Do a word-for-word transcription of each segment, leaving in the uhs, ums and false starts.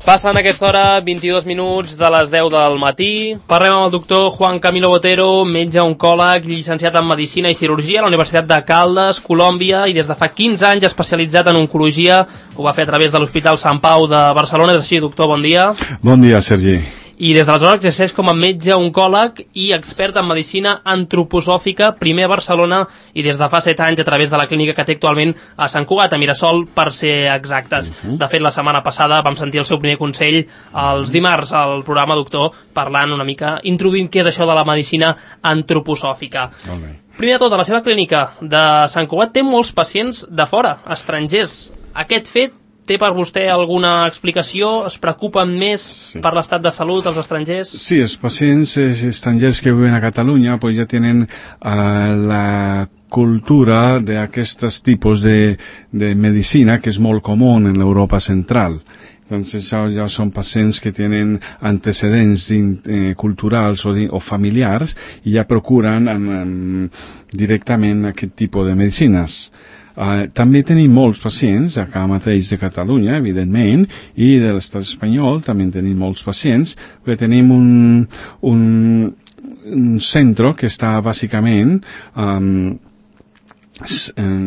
Passen a aquesta hora vint-i-dos minuts de les deu del matí. Parlem amb el doctor Juan Camilo Botero, metge oncòleg, llicenciat en Medicina i Cirurgia a la Universitat de Caldes, Colòmbia, i des de fa quinze anys especialitzat en oncologia. Ho va fer a través de l'Hospital Sant Pau de Barcelona. És així, doctor? Bon dia. Bon dia, Sergi. I des d'aleshores exerceix com a metge oncòleg i expert en medicina antroposòfica, primer a Barcelona i des de fa set anys a través de la clínica que té actualment a Sant Cugat, a Mirasol, per ser exactes. Uh -huh. De fet, la setmana passada vam sentir el seu primer consell els dimarts al programa, doctor, parlant una mica, introduint què és això de la medicina antroposòfica. Okay. Primer de tot, a la seva clínica de Sant Cugat té molts pacients de fora, estrangers. Aquest fet té per vostè alguna explicació? Es preocupen més sí. per l'estat de salut dels estrangers? Sí, els pacients estrangers que viuen a Catalunya pues ja tenen uh, la cultura d'aquests tipus de, de medicina que és molt comú en l'Europa central. Entonces ja, ja són pacients que tenen antecedents eh, culturals o, de, o familiars i ja procuren um, directament aquest tipus de medicines. Uh, també tenim molts pacients, acá mateix de Catalunya, evidentment, i de l'estat espanyol també tenim molts pacients, perquè tenim un, un, un centre que està bàsicament um,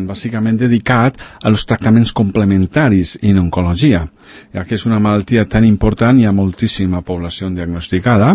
bàsicament dedicat als tractaments complementaris en oncologia, ja que és una malaltia tan important, hi ha moltíssima població diagnosticada.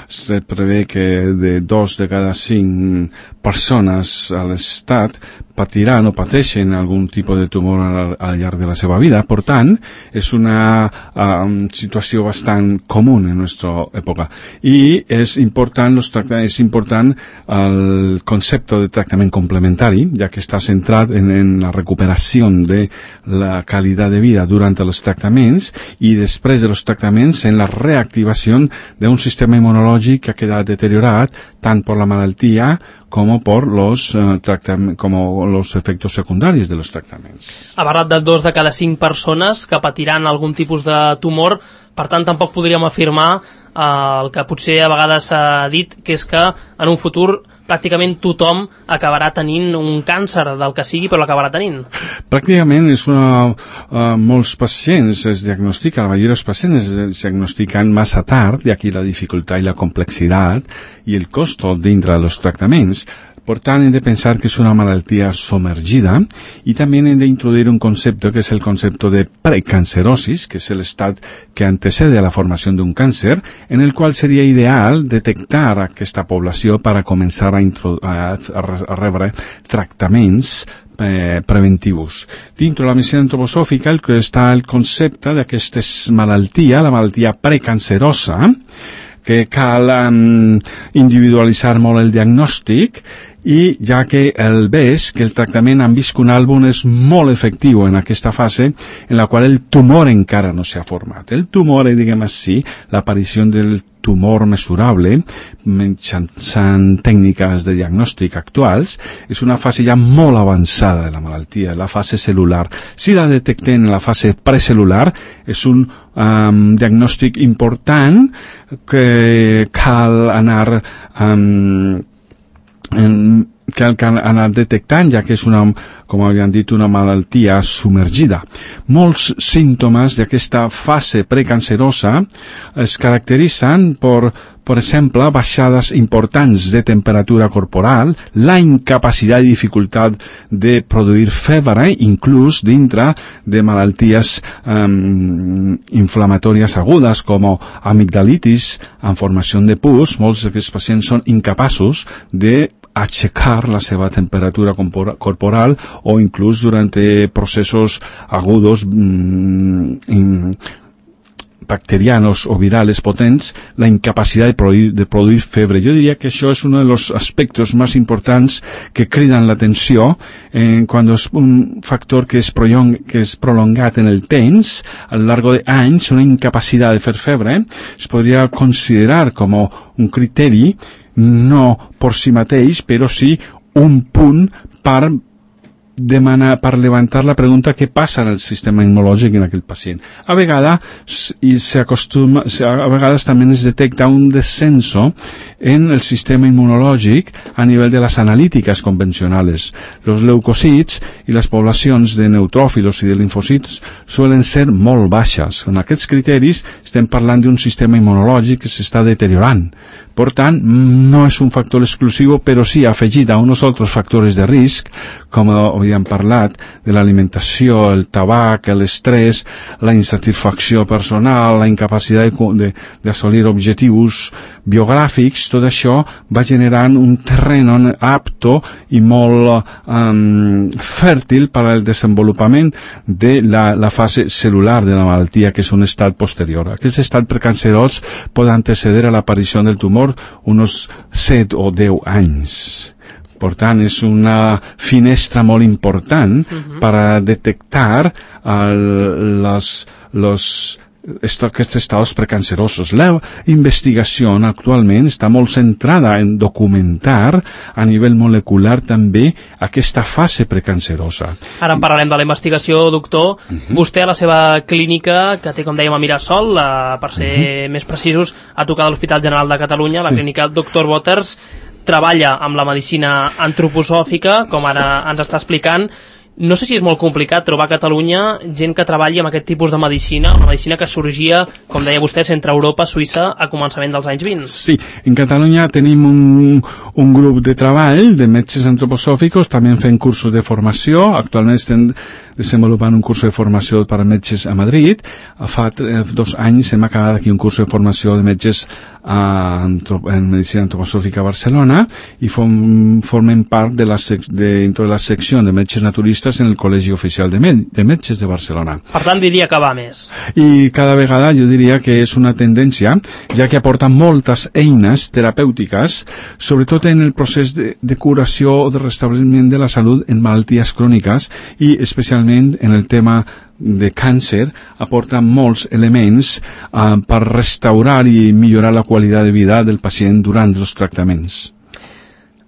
Es prevé que de dos de cada cinc persones a l'estat patiran o pateixen algun tipus de tumor al, al llarg de la seva vida. Per tant, és una um, situació bastant comú en la nostra època. I és important, los és important el concepte de tractament complementari, ja que està centrat en, en la recuperació de la qualitat de vida durant els tractaments i després de los tractaments en la reactivació d'un sistema immunològic que ha quedat deteriorat tant per la malaltia com per los, uh, com los efectos secundaris de los tractaments. Ha parlat de dos de cada cinc persones que patiran algun tipus de tumor, per tant tampoc podríem afirmar eh, el que potser a vegades s'ha dit, que és que en un futur pràcticament tothom acabarà tenint un càncer del que sigui, però l'acabarà tenint. Pràcticament és una, uh, molts pacients es diagnostiquen, la majoria dels pacients es diagnostiquen massa tard, i aquí la dificultat i la complexitat i el cost dintre dels tractaments. Per tant, hem de pensar que és una malaltia submergida i també hem d'introduir un concepte que és el concepte de precancerosis, que és l'estat que antecede a la formació d'un càncer, en el qual seria ideal detectar aquesta població per a començar a, a, a rebre tractaments Eh, preventius. Dintre la medicina antroposòfica el que està el concepte d'aquesta malaltia, la malaltia precancerosa, que cal um, individualitzar molt el diagnòstic, i ja que el B E S, que el tractament amb visconalbum és molt efectiu en aquesta fase en la qual el tumor encara no s'ha format. El tumor, diguem així, l'aparició del tumor mesurable mitjançant tècniques de diagnòstic actuals, és una fase ja molt avançada de la malaltia, la fase celular. Si la detectem en la fase precel·lular, és un um, diagnòstic important que cal anar um, en, que cal anar detectant, ja que és una, com havíem dit, una malaltia submergida. Molts símptomes d'aquesta fase precancerosa es caracteritzen per, per exemple, baixades importants de temperatura corporal, la incapacitat i dificultat de produir febre, inclús dintre de malalties um, inflamatòries agudes com amigdalitis en formació de pus. Molts d'aquests pacients són incapaços de aixecar la seva temperatura corporal o inclús durant processos agudos mmm, bacterianos o virales potents, la incapacitat de produir, de produir febre. Jo diria que això és un dels aspectes més importants que criden l'atenció eh, quan és un factor que és, prolong, que és prolongat en el temps, a lo largo de anys, una incapacitat de fer febre, es podria considerar com un criteri no per si mateix, però sí un punt per demanar, per levantar la pregunta què passa en el sistema immunològic en aquell pacient. A vegades, i s'acostuma, a vegades també es detecta un descenso en el sistema inmunològic a nivell de les analítiques convencionals. Los leucocits i les poblacions de neutròfilos i de linfocits suelen ser molt baixes. En aquests criteris estem parlant d'un sistema immunològic que s'està deteriorant. Per tant, no és un factor exclusiu, però sí afegit a uns altres factors de risc, com havíem parlat, de l'alimentació, el tabac, l'estrès, la insatisfacció personal, la incapacitat d'assolir objectius biogràfics. Tot això va generant un terreno apto i molt um, fèrtil per al desenvolupament de la, la fase celular de la malaltia, que és un estat posterior. Aquest estat precancerós pot antecedir a l'aparició del tumor uns set o deu anys. Per tant, és una finestra molt important uh-huh. per a detectar el, los, los, esto, aquests estats precancerosos. La investigació actualment està molt centrada en documentar a nivell molecular també aquesta fase precancerosa. Ara en parlarem de la investigació, doctor. Uh-huh. Vostè a la seva clínica, que té, com dèiem, a Mirasol, eh, per ser uh-huh. més precisos, a tocar de l'Hospital General de Catalunya, sí. La clínica doctor Waters, treballa amb la medicina antroposòfica, com ara ens està explicant. No sé si és molt complicat trobar a Catalunya gent que treballi amb aquest tipus de medicina, una medicina que sorgia, com deia vostè, entre Europa, Suïssa, a començament dels anys vint. Sí, en Catalunya tenim un, un grup de treball de metges antroposòficos, també fent cursos de formació. Actualment estem desenvolupant un curs de formació per a metges a Madrid. Fa dos anys hem acabat aquí un curs de formació de metges a, en medicina antroposòfica a Barcelona i form, formem part de la, sec, de, de la secció de metges naturistes en el Col·legi Oficial de, Med, de Metges de Barcelona. Per tant, diria que va més. I cada vegada jo diria que és una tendència, ja que aporta moltes eines terapèutiques, sobretot en el procés de, de curació o de restabliment de la salut en malalties cròniques i especialment en el tema de càncer, aporta molts elements uh, per restaurar i millorar la qualitat de vida del pacient durant els tractaments.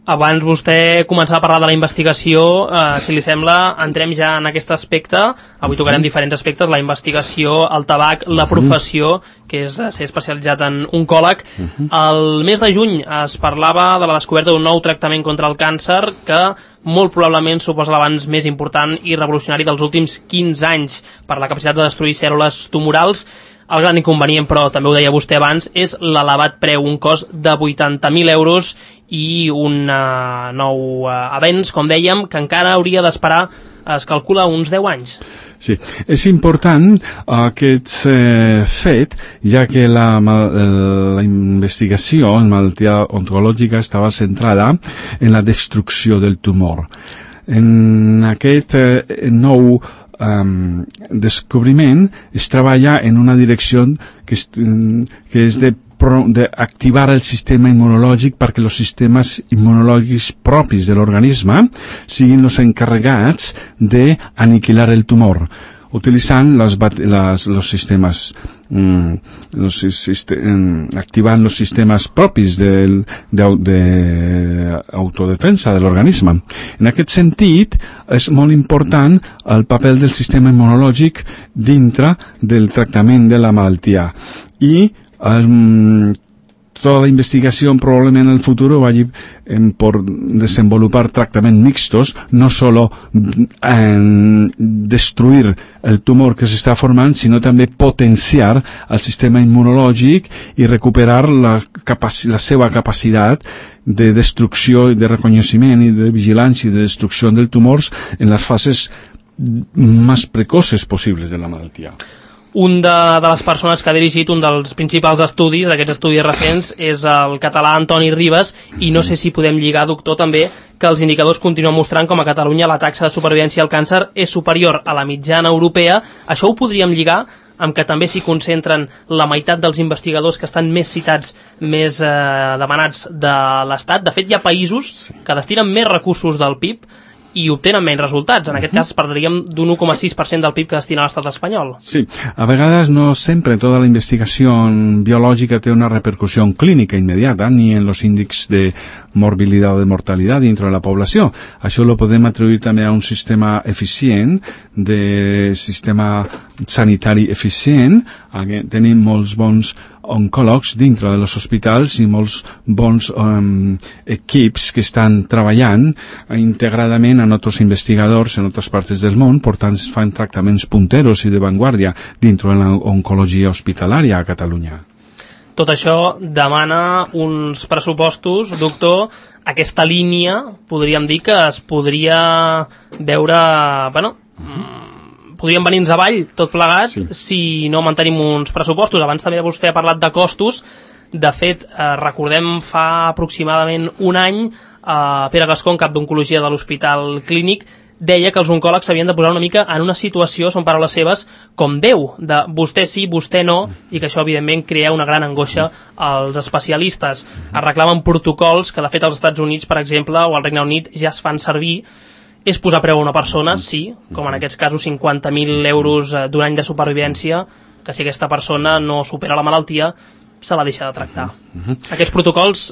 Abans vostè començava a parlar de la investigació, eh, si li sembla, entrem ja en aquest aspecte. Avui tocarem diferents aspectes, la investigació, el tabac, la professió, que és ser especialitzat en oncòleg. El mes de juny es parlava de la descoberta d'un nou tractament contra el càncer que molt probablement suposa l'avanç més important i revolucionari dels últims quinze anys per la capacitat de destruir cèl·lules tumorals. El gran inconvenient, però també ho deia vostè abans, és l'elevat preu, un cost de vuitanta mil euros i un uh, nou uh, avenç, com dèiem, que encara hauria d'esperar, es calcula, uns deu anys. Sí, és important aquest eh, fet, ja que la, la investigació en malaltia oncològica estava centrada en la destrucció del tumor. En aquest eh, nou Um, descobriment es treballa en una direcció que és, que és de d'activar el sistema immunològic perquè els sistemes immunològics propis de l'organisme siguin els encarregats d'aniquilar el tumor, utilitzant les, les, los sistemes mm, los, sistem, activant els sistemes propis d'autodefensa de, de l'organisme. En aquest sentit és molt important el paper del sistema immunològic dintre del tractament de la malaltia i um, toda la investigación probablemente en el futuro vaya en, por desenvolupar tratamientos mixtos, no solo en destruir el tumor que se está formando, sino también potenciar el sistema inmunológico y recuperar la, capac la seva capacidad de destrucció i de reconeixement i de vigilància i de destrucció del tumors en les fases més precoces possibles de la malaltia. Un de, de les persones que ha dirigit un dels principals estudis, d'aquests estudis recents, és el català Antoni Ribas, i no sé si podem lligar, doctor, també, que els indicadors continuen mostrant com a Catalunya la taxa de supervivència al càncer és superior a la mitjana europea. Això ho podríem lligar amb que també s'hi concentren la meitat dels investigadors que estan més citats, més eh, demanats de l'Estat. De fet, hi ha països que destinen més recursos del P I B i obtenen menys resultats. En aquest cas parlaríem d'un u coma sis per cent del P I B que destina a l'estat espanyol. Sí, a vegades no sempre tota la investigació biològica té una repercussió clínica immediata, ni en los índices de morbilidad o de mortalidad dentro de la població. Això lo podem atribuir també a un sistema eficient, de sistema sanitari eficient. Tenim molts bons oncòlegs dintre dels hospitals i molts bons um, equips que estan treballant integradament amb altres investigadors en altres parts del món, per tant es fan tractaments punteros i de vanguardia dintre de l'oncologia hospitalària a Catalunya. Tot això demana uns pressupostos, doctor. Aquesta línia podríem dir que es podria veure, bueno, podríem venir-nos avall tot plegat, sí, si no mantenim uns pressupostos. Abans també vostè ha parlat de costos. De fet, eh, recordem fa aproximadament un any eh, Pere Gascón, cap d'oncologia de l'Hospital Clínic, deia que els oncòlegs s'havien de posar una mica en una situació, són paraules seves, com Déu, de vostè sí, vostè no, i que això evidentment crea una gran angoixa als especialistes. Es reclamen protocols que de fet als Estats Units, per exemple, o al Regne Unit ja es fan servir. És posar preu a una persona, sí, com en aquests casos cinquanta mil euros d'un any de supervivència, que si aquesta persona no supera la malaltia, se la deixa de tractar. Aquests protocols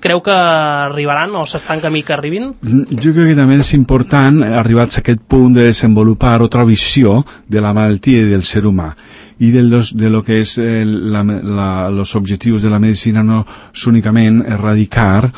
creu que arribaran o s'estan en camí que arribin? Jo crec que també és important, arribats a aquest punt, de desenvolupar altra visió de la malaltia i del ser humà. I de, los, de lo que és eh, la, la, los objectius de la medicina no és únicament erradicar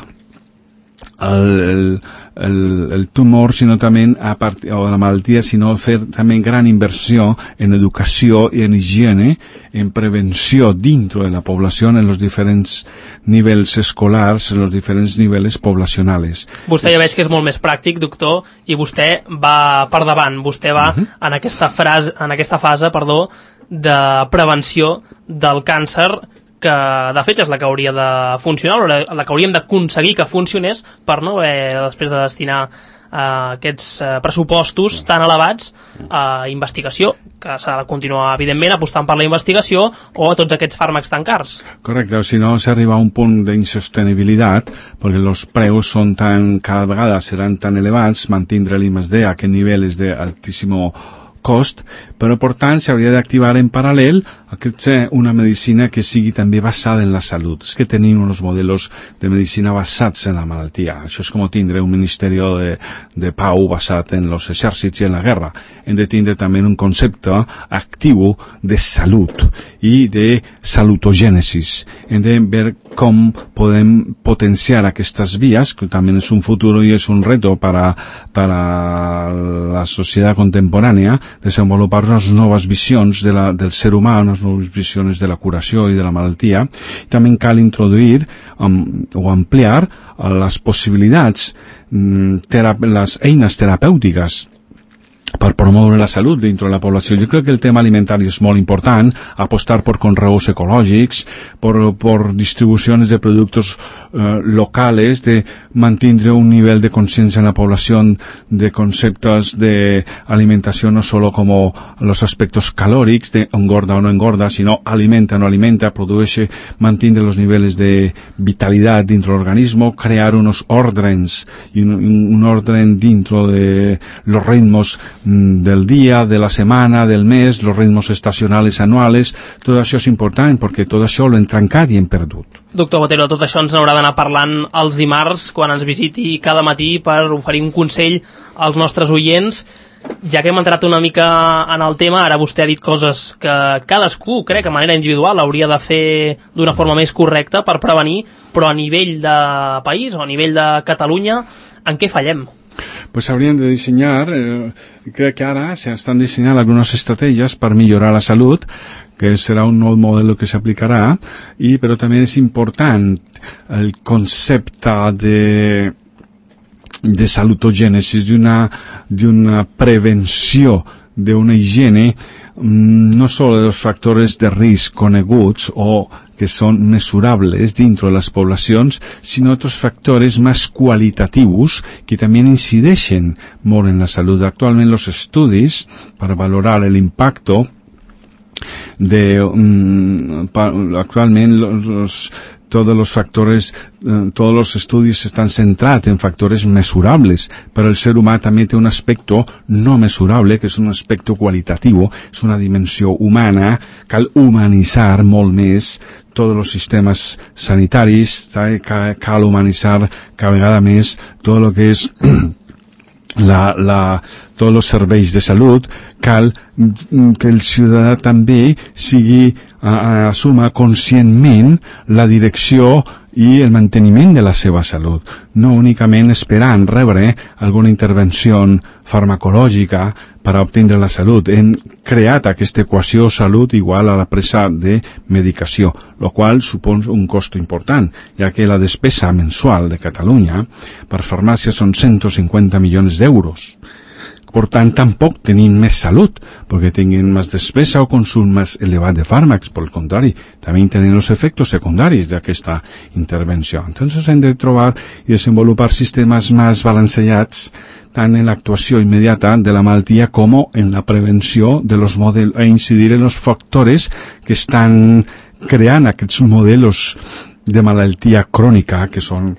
el, el, el, el tumor, sinó també a part, o la malaltia, sinó fer també gran inversió en educació i en higiene, en prevenció dintre de la població en els diferents nivells escolars, en els diferents nivells poblacionals. Vostè ja veig que és molt més pràctic, doctor, i vostè va per davant, vostè va uh-huh. en aquesta frase, en aquesta fase, perdó, de prevenció del càncer, que de fet és la que hauria de funcionar, la que hauríem d'aconseguir que funcionés per no haver després de destinar uh, aquests uh, pressupostos tan elevats a investigació, que s'ha de continuar evidentment apostant per la investigació o a tots aquests fàrmacs tan cars. Correcte, si no s'arriba a un punt d'insostenibilitat, perquè els preus són tan, cada vegada seran tan elevats, mantindre l'I més D a aquest nivell és d'altíssimo cost, però per tant s'hauria d'activar en paral·lel una medicina que sigui també basada en la salut. És que tenim uns models de medicina basats en la malaltia. Això és com tindre un ministeri de, de pau basat en els exèrcits i en la guerra. Hem de tindre també un concepte actiu de salut i de salutogènesis. Hem de veure com podem potenciar aquestes vies, que també és un futur i és un reto para, para la societat contemporània, desenvolupar unes noves visions de la, del ser humà, unes noves visions de la curació i de la malaltia. També cal introduir um, o ampliar uh, les possibilitats, um, les eines terapèutiques per promoure la salut dintre de la població. Jo crec que el tema alimentari és molt important, apostar per conreus ecològics, per, per distribucions de productes eh, locals, de mantenir un nivell de consciència en la població de conceptes d'alimentació no solo com els aspectes calòrics, de engorda o no engorda, sinó alimenta o no alimenta, produeix, mantenir els nivells de vitalitat dintre l'organisme, crear uns ordres i un, un orden dintre de los ritmos del dia, de la setmana, del mes, los ritmos estacionals anuals. Tot això és important perquè tot això l'hem trencat i hem perdut. Doctor Botero, tot això ens n'haurà d'anar parlant els dimarts quan ens visiti cada matí per oferir un consell als nostres oients. Ja que hem entrat una mica en el tema, ara vostè ha dit coses que cadascú, crec, de manera individual hauria de fer d'una forma més correcta per prevenir, però a nivell de país o a nivell de Catalunya, en què fallem? Pues habrían de diseñar, eh, creo que ahora se están diseñando algunas estrategias para mejorar la salud, que será un nou modelo que s'aplicarà, i però també és important el concepte de de salutogènesis, d'una d'una prevenció, d'una higiene, no solo de los factores de risc coneguts o que són mesurables dintre de les poblacions, sinó altres factors més qualitatius que també incideixen molt en la salut. Actualment els estudis per valorar l'impacte de um, pa, actualment los, todos los factores, eh, todos los estudios están centrados en factores mesurables, pero el ser humano también tiene un aspecto no mesurable, que és un aspecte qualitatiu, és una dimensió humana, cal humanitzar molt més tots els sistemes sanitaris, cal, cal humanitzar cada vegada més tot el que és la, la, tots els serveis de salut, cal que el ciutadà també sigui, uh, assuma conscientment la direcció i el manteniment de la seva salut, no únicament esperant rebre alguna intervenció farmacològica per a obtindre la salut. Hem creat aquesta equació salut igual a la presa de medicació, el qual supon un cost important, ja que la despesa mensual de Catalunya per farmàcia són cent cinquanta milions d'euros. Per tant, tampoc tenim més salut, perquè tinguin més despesa o consum més elevat de fàrmacs. Per el contrari, també tenen els efectes secundaris d'aquesta intervenció. Entonces, hem de trobar i desenvolupar sistemes més balancejats tant en l'actuació immediata de la malaltia com en la prevenció de los modelos, e incidir en els factores que estan creant aquests models de malaltia crònica que són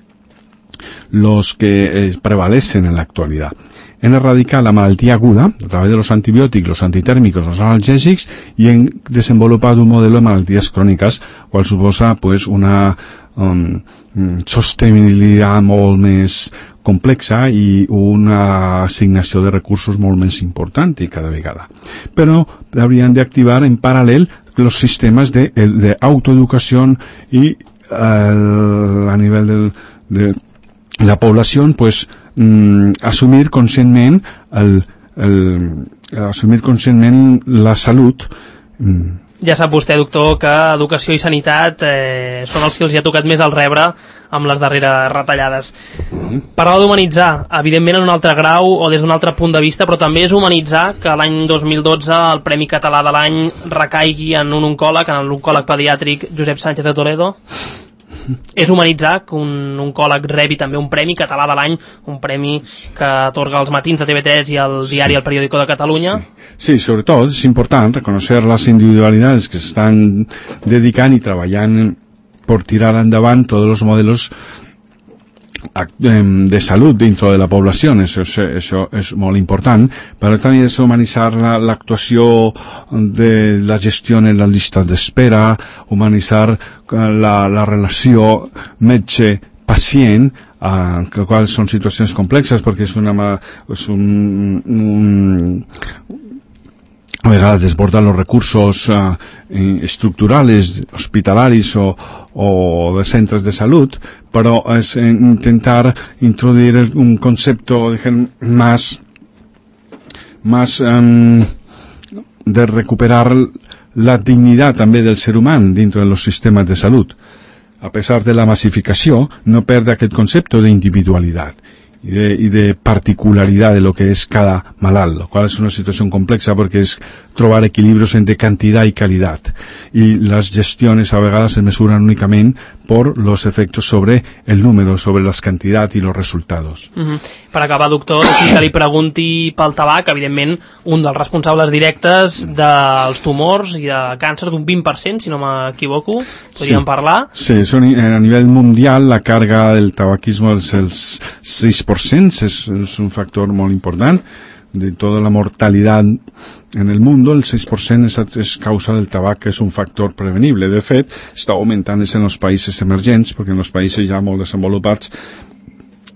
los que eh, prevalecen en l'actualitat. En erradicar la malaltia aguda a través de los antibiòtics, los antitèrmics, los analgèsics, i en desenvolupat un model de malalties cròniques, qual suposa pues, una um, sostenibilitat molt més complexa i una assignació de recursos molt més important i cada vegada. Però haurien d'activar en paral·lel els sistemes d'autoeducació i eh, a nivell del, de la població, pues, Mm, assumir conscientment el, el, assumir conscientment la salut. Mm. Ja sap vostè, doctor, que educació i sanitat eh, són els que els hi ha tocat més al rebre amb les darreres retallades. Mm-hmm. Parlava d'humanitzar, evidentment en un altre grau o des d'un altre punt de vista, però també és humanitzar que l'any dos mil dotze el Premi Català de l'any recaigui en un oncòleg, en l'oncòleg pediàtric Josep Sánchez de Toledo. És humanitzar que un oncòleg rebi també un premi català de l'any, un premi que atorga els matins de T V tres i el diari sí. El Periódico de Catalunya. Sí, sí, sobretot és important reconocer les individualitats que estan dedicant i treballant per tirar endavant tots els models de salut dentro de la població. Això, això és molt important, però també és humanitzar l'actuació de la gestió en les llistes d'espera, humanitzar la, la relació metge-pacient, Uh, que qual són situacions complexes perquè és una és un, un a vegades desbordan los recursos uh, estructurales, hospitalaris o, o de centres de salut, però és intentar introduir un concepte más más um, de recuperar la dignitat també del ser humà dintre dels sistemes de salut. A pesar de la massificació, no perde aquest concepte d'individualitat i de, i de particularitat de lo que és cada malalt, lo qual és una situació complexa perquè és trobar equilibrios entre cantidad y calidad, y las gestiones a vegades se mesuran únicamente por los efectos sobre el número, sobre las cantidades y los resultados. Uh-huh. Per acabar, doctor, si que li pregunti pel tabac, evidentment, un dels responsables directes dels tumors i de càncer d'un vint per cent, si no m'equivoco, podríem sí. parlar? Sí, son, a nivell mundial la carga del tabaquismo és el sis per cent, és, és un factor molt important. De tota la mortalitat en el món, el sis per cent és, és causa del tabac, que és un factor prevenible. De fet, està augmentant en els països emergents, perquè en els països ja molt desenvolupats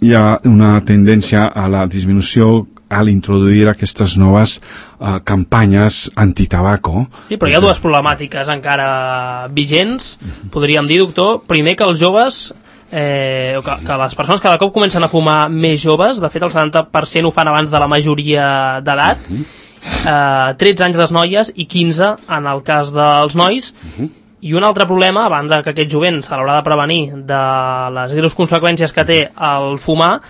hi ha una tendència a la disminució al introduir aquestes noves uh, campanyes antitabaco. Sí, però hi ha dues problemàtiques encara vigents, podríem dir, doctor. Primer, que els joves Eh, que, que les persones cada cop comencen a fumar més joves, de fet el setanta per cent ho fan abans de la majoria d'edat, eh, tretze anys les noies i quinze en el cas dels nois. I un altre problema, a banda que aquest jovent se l'haurà de prevenir de les greus conseqüències que té el fumar,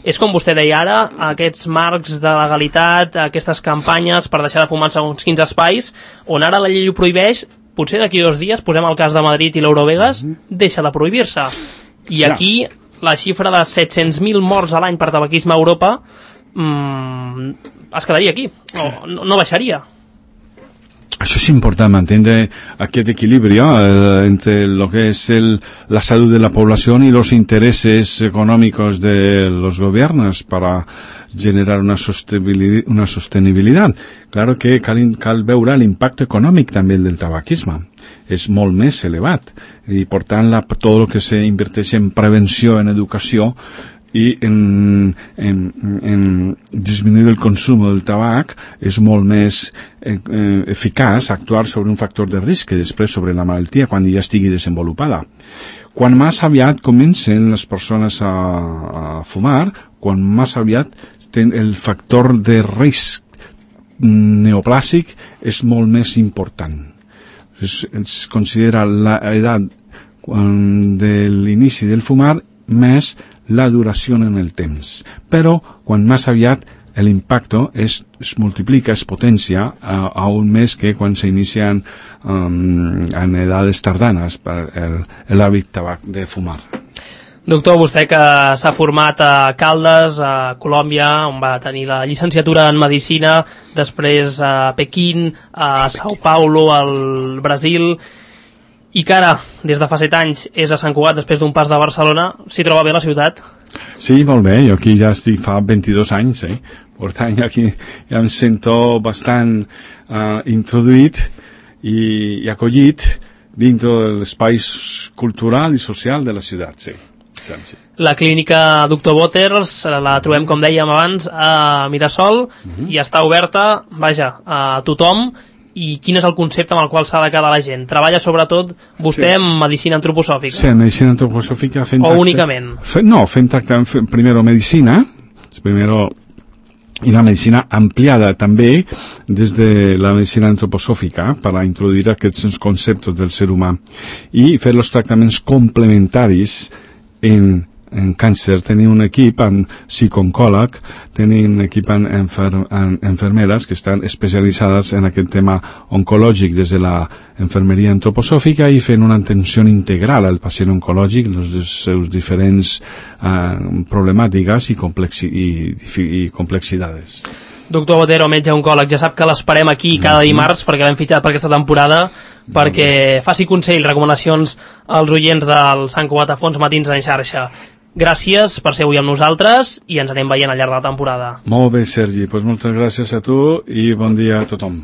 és, com vostè deia ara, aquests marcs de legalitat, aquestes campanyes per deixar de fumar en segons quins espais, on ara la llei ho prohibeix, potser d'aquí dos dies, posem el cas de Madrid i l'Eurovegas, deixa de prohibir-se. I aquí la xifra de set-cents mil morts a l'any per tabaquisme a Europa mmm, es quedaria aquí, o no, no baixaria. Això és important, mantener aquest equilibri eh, entre lo que es el, la salud de la población y los intereses económicos de los gobiernos para generar una sostenibilidad. Una sostenibilidad. Claro que cal, cal veure l'impacte econòmic també del tabaquisme. És molt més elevat. I, per tant, la, tot el que s'inverteix en prevenció, en educació, i en, en, en disminuir el consum del tabac és molt més eh, eficaç actuar sobre un factor de risc que després sobre la malaltia quan ja estigui desenvolupada. Quan més aviat comencen les persones a, a fumar, quan més aviat ten el factor de risc neoplàsic és molt més important. Es, es considera l'edat de l'inici del fumar més la duració en el temps, però quan més aviat l'impacte es, es multiplica, es potencia uh, aún més que quan s'inician um, en edades tardanes per l'hàbit tabac de fumar. Doctor, vostè que s'ha format a Caldes, a Colòmbia, on va tenir la llicenciatura en Medicina, després a Pequín, a Sao Paulo, al Brasil, i que ara, des de fa set anys, és a Sant Cugat després d'un pas de Barcelona. S'hi troba bé la ciutat? Sí, molt bé. Jo aquí ja estic fa vint-i-dos anys, eh? Per tant, aquí ja em sento bastant uh, introduït i, i acollit dintre de l'espai cultural i social de la ciutat, sí. Sí, sí. La clínica Doctor Boters la trobem, com dèiem abans, a Mirasol, uh-huh. i està oberta, vaja, a tothom. I quin és el concepte amb el qual s'ha de quedar la gent? Treballa sobretot vostè sí. en medicina antroposòfica? Sí, en medicina antroposòfica fent o tracte... únicament? Fe... No, fent tractament, fent, primero medicina, primero y la medicina ampliada també des de la medicina antroposòfica per a introduir aquests conceptes del ser humà i fer els tractaments complementaris en en càncer. Tenim un equip amb psicooncòleg, tenim un equip amb, enfer amb enfermeres que estan especialitzades en aquest tema oncològic des de la enfermeria antroposòfica i fent una atenció integral al pacient oncològic, les seus diferents eh, problemàtiques i, complexi i, i complexitats. Doctor Botero, metge oncòleg, ja sap que l'esperem aquí cada dimarts perquè l'hem fitxat per aquesta temporada, perquè faci consell, recomanacions als oients del Sant Cugat a Fons Matins en xarxa. Gràcies per ser avui amb nosaltres i ens anem veient al llarg de la temporada. Molt bé, Sergi. Pues moltes gràcies a tu i bon dia a tothom.